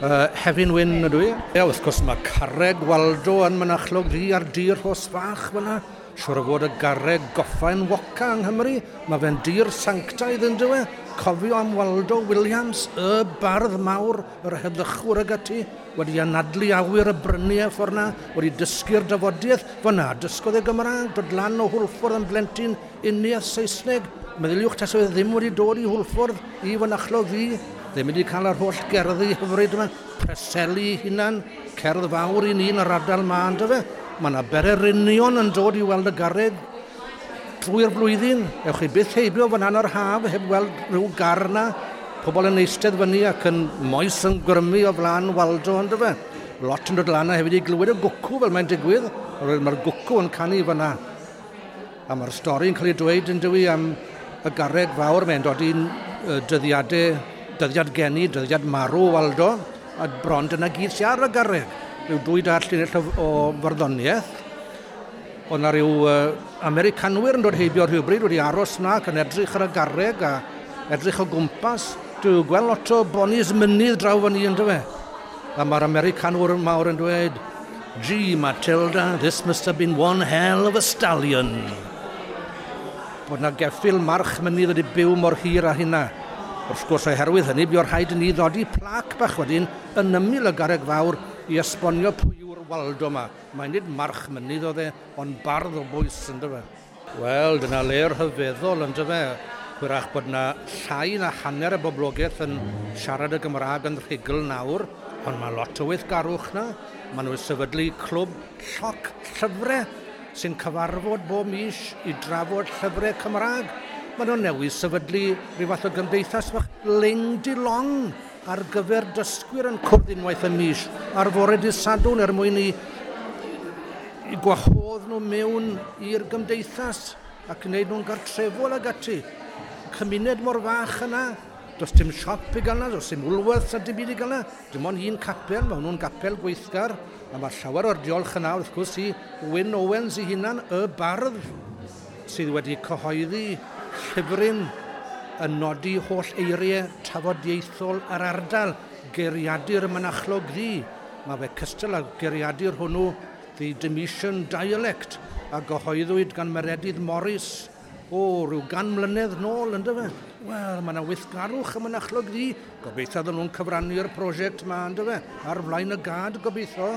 Hefin Wyn ydw i. Ie, wrth gwrs mae carreg Waldo yn Mynachlog Ddu ar dir Rhos Fach fyna. Siwr o fod y garreg goffa enwoca yng Nghymru. Mae fe'n dir sanctaidd yn dywe. Cofio am Waldo Williams, y bardd mawr, yr heddychwr ag ati, wedi anadlu awyr y bryniau ffordd na, wedi dysgu'r dafodiaeth. Fyna, dysgodd e Gymraeg, dod lan o Hwlffordd yn blentyn uniaith Saesneg. Meddyliwch tase fe ddim wedi dod i Hwlffordd i Fynachlog Ddu, ddim wedi cael yr holl gerddi hyfryd yma, Preseli hunan, cerdd fawr i ni yn yr ardal ma, ynddo fe? Mae yna bererinion yn dod i weld y garreg drwy'r flwyddyn. Ewch chi byth heibio fan hyn o'r haf heb weld rhyw gar na. Pobl yn eistedd fyny ac yn moes yn grymu o flaen Waldo, ynddo fe? Lot yn dod lan a hefyd i glywed y gwcw fel mae'n digwydd. Mae'r gwcw yn canu fyna. A mae'r stori'n cael ei dweud yn dywi am y garreg fawr, mae'n dod i'n dyddiadau, dyddiad geni, dyddiad marw Waldo, a bron dyna gyd sy'n ar y garreg. Rhyw dwy dar llinell o, o farddoniaeth. Oedd na rhyw Americanwyr yn dod heibio rhywbryd wedi aros na ac yn edrych ar y garreg a edrych o gwmpas. Dwi'n gweld lot o bonis mynydd draw fan i, yn fe. A mae'r Americanwyr mawr yn dweud, "Gee, Matilda, this must have been one hell of a stallion." Bod na geffyl march mynydd wedi byw mor hir â hynna. Wrth gwrs, oherwydd hynny, buodd rhaid i ni ddodi plac bach wedyn yn ymyl y garreg fawr i esbonio pwy yw'r Waldo yma. Mae nid march mynydd oedd e, ond bardd o bwys, ynddo fe. Wel, dyna le rhyfeddol, ynddo fe. Hwyrach bod na llai na hanner y boblogaeth yn siarad y Gymraeg yn rhugl nawr, ond mae lot o weithgarwch na. Maen nhw'n sefydlu clwb lloc llyfrau sy'n cyfarfod bob mis i drafod llyfrau Cymraeg. Maen nhw'n newydd sefydlu rhyw fath o gymdeithas fach Ling Di Long ar gyfer dysgwyr yn cwrdd unwaith y mis ar fore dydd Sadwrn er mwyn i gwahodd nhw mewn i'r gymdeithas ac wneud nhw'n gartrefol ag ati. Cymuned mor fach yna, does dim siop i gael yna, does dim Woolworths a dim byd i gael yna. Dim ond un capel, mae hwnnw'n gapel gweithgar, a mae llawer o'r diolch yna wrth gwrs i Wyn Owens ei hunan, y bardd, sydd wedi cyhoeddi llyfryn yn nodi holl eiriau tafodieithol yr ardal, Geiriadur y Mynachlog Ddu. Mae fe cystal â geiriadur hwnnw, The Demetian Dialect, a gyhoeddwyd gan Meredydd Morris o, rhyw 100 mlynedd nôl, ynddo fe? Wel, mae yna weithgarwch ym Mynachlog Ddu. Gobeithio ddyn nhw'n cyfrannu'r prosiect yma, ynddo fe? Ar flaen y gad, gobeithio.